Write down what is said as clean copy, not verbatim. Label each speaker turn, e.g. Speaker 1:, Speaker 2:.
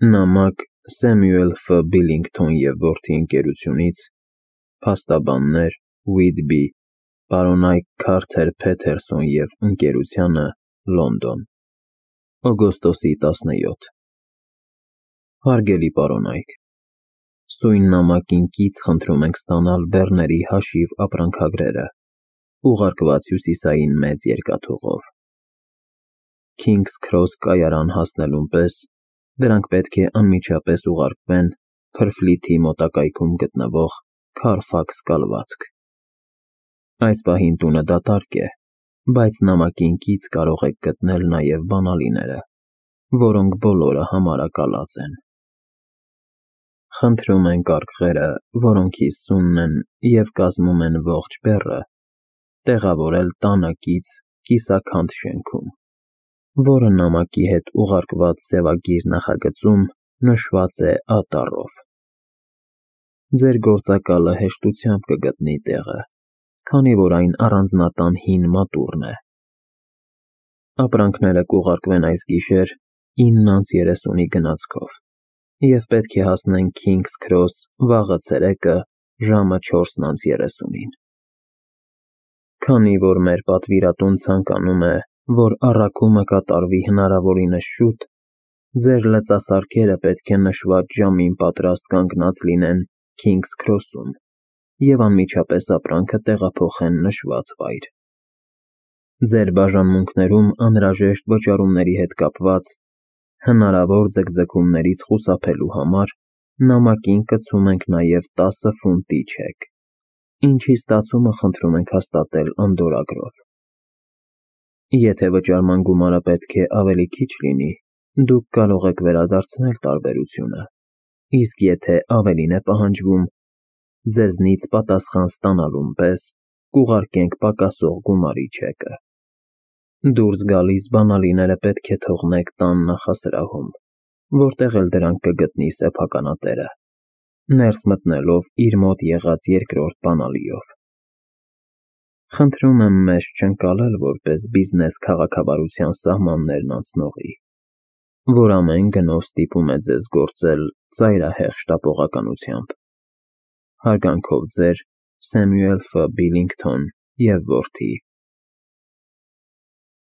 Speaker 1: Նամակ Սեմյուել Ֆ. Բիլինգթոն և որդի ընկերությունից, փաստաբաններ Ուիթբի, պարոնայք Քարթեր Փեթերսոն և ընկերությանը, Լոնդոն, օգոստոսի 17։ Հարգելի պարոնայք, սույն նամակին կից խնդրում ենք ստանալ բեռների հաշիվ ապրանքագրերը, ուղարկված հյուսիսային մեծ երկաթուղով։ Քինգս Քրոս կայարան հասնելուն պես դրանք պետք է անմիջապես ուղարկվեն Փրֆլիթի մոտակայքում գտնվող Քարֆաքս կալվածք։ Այս պահին տունը դատարկ է, բայց նամակին կից կարող եք գտնել նաև բանալիները, որոնք բոլորը համարակալած են։ Խնդրում ենք արկղերը, որոնք 50 են և կազմում են ողջ բեռը, տեղավորել տանը կից կիսաքանդ շենքում, որը նամակի հետ ուղարկված սևագիր նախագծում նշված է Ա տառով։ Ձեր գործակալը հեշտությամբ կգտնի տեղը, քանի որ այն առանձնատան հին մատուռն է։ Ապրանքները կուղարկվեն այս գիշեր 9:30-ի գնացքով և պետք է հասնեն Քինգս Քրոս վաղը ցերեկը ժամը 4:30-ին։ Քանի որ մեր պատվիրատուն ցանկանում է, որ առաքումը կատարվի հնարավորինս շուտ, ձեր լծասարքերը պետք է նշված ժամին պատրաստ կանգնած լինեն Քինգս Քրոսում և անմիջապես ապրանքը տեղափոխեն նշված վայր։ Ձեր բաժանմունքներում անհրաժեշտ վճարումների հետ կապված հնարավոր ձգձգումներից խուսափելու համար նամակին կցում ենք նաև 10 ֆունտի չեք, ինչի ստացումը խնդրում ենք հաստատել անդորրագրով։ Եթե վճարման գումարը պետք է ավելի քիչ լինի, դուք կարող եք վերադարձնել տարբերությունը, իսկ եթե ավելին է պահանջվում, ձեզնից պատասխան ստանալուն պես կուղարկենք պակասող գումարի չեկը։ Դուրս գալիս բանալիները պետք է թողնեք տան նախասրահում, որտեղ էլ դրանք կգտնի սեփականատերը, ներս մտնելով իր մոտ եղած երկրորդ բանալիով։ Խնդրում եմ մեզ չընկալել որպես բիզնես քաղաքավարության սահմաններն անցնողի, որ ամեն գնով ստիպում է ձեզ գործել ծայրահեղ շտապողականությամբ։ Հարգանքով ձեր Սեմյուել Ֆ. Բիլինգթոն և որդի